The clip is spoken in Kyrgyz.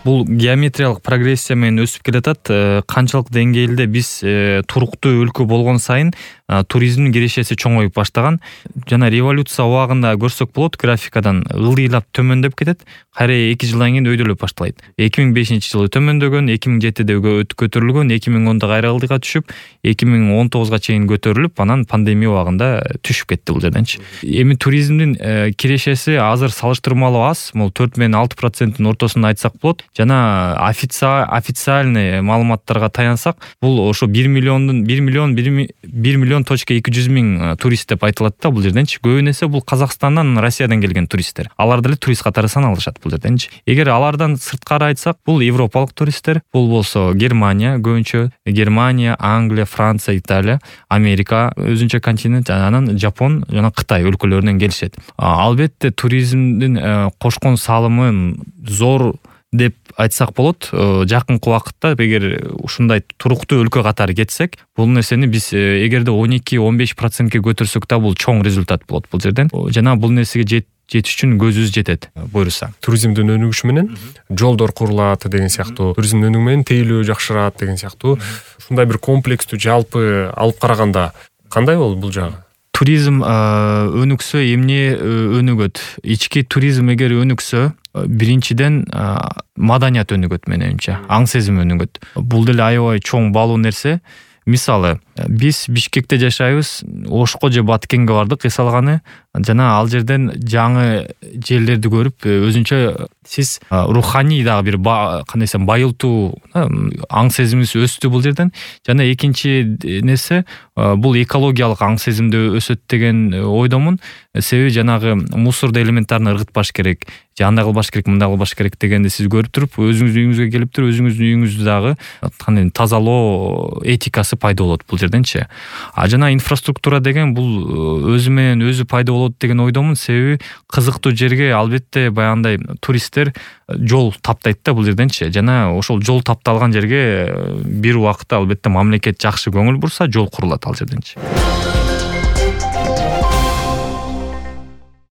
Бул геометриялык прогрессия менен өсүп келатат. Канчалык деңгээлде биз туруктуу өлкө болгон сайын туризмдин кирешеси чоңоюп баштаган. Жана революция убагында көрсөк болот, графикадан ылдыйлап төмөндөп кетет. Кайра 2 жылдан кийин өйдөлөп башталат. 2005-жылы төмөндөгөн, 2007-де көтөрүлгөн, 2010-да кайра ылдыйга түшүп, 2019-га чейин көтөрүлүп, анан пандемия убагында түшүп кетти бул жерденчи. Эми туризмдин кирешеси азыр салыштырмалуу аз, могу 4 менен 6% ортосунда айтсак болот. Жана официальный маалыматтарга таянсак, бул ошо 1 миллион точка 200 миң турист деп айтылат да бул жерденчи. Көбүнесе бул Казакстандан, Россиядан келген туристтер. Алар деле турист катары саналышат бул жерденчи. Эгер алардан сырткары айтсак, бул европалык туристтер, бул болсо Германия, көбүнчө Германия, Англия, Франция, Италия, Америка, өзүнчө континент, анан Жапон жана Кытай өлкөлөрүнөн келишет. Албетте туризмдин кошкон салымы зор деп айтсак болот. Жакынкы убакытта эгер ушундай туруктуу өлкө катары кетсек, бул нерсени биз эгерде 12-15%ке көтөрсөк да бул чоң результат болот бул жерден. Жана бул нерсеге жетиш үчүн көзүбүз жетет, буюрса. Туризмдин өнүгүшү менен жолдор курулат деген сыяктуу, туризмдин өнүгүшү менен тейлөө жакшырат деген сыяктуу. Ушундай бир комплекстүү жалпы алып караганда кандай болот бул жагы? Туризм өнүксө эмне өнүгөт? Ички туризм эгер өнүксө, биринчиден маданият өнүгөт менимче, аң сезим өнүгөт. Бул деле аябай чоң баалуу нерсе. Мисалы, биз Бишкекте жашайбыз, Ошко же Баткенге бардык эс алганы, жана ал жерден жаңы жерлерди көрүп, өзүнчө сиз руханий дагы бир кандай десем байылтуу аң сезимиңиз өстү бул жерден. Жана экинчи нерсе, бул экологиялык аң сезимде өсөт деген ойдомун. Себеби жанагы мусорду элементтерин ыргытпаш керек, же андай кылбаш керек, мындай кылбаш керек дегенди сиз көрүп туруп, өзүңүздүн үйүңүзгө келип туруп, өзүңүздүн үйүңүздү дагы кандай тазалоо этикасы пайда болот бул жерденчи. Жана инфраструктура деген бул өзү менен өзү пайда болот деген ойдомун. Себеби кызыктуу жерге албетте баягындай туристтер жол таптайт да бул жерденчи. Жана ошол жол тапталган жерге бир убакытта албетте мамлекет жакшы көңүл бурса, жол курулат ал жерденчи.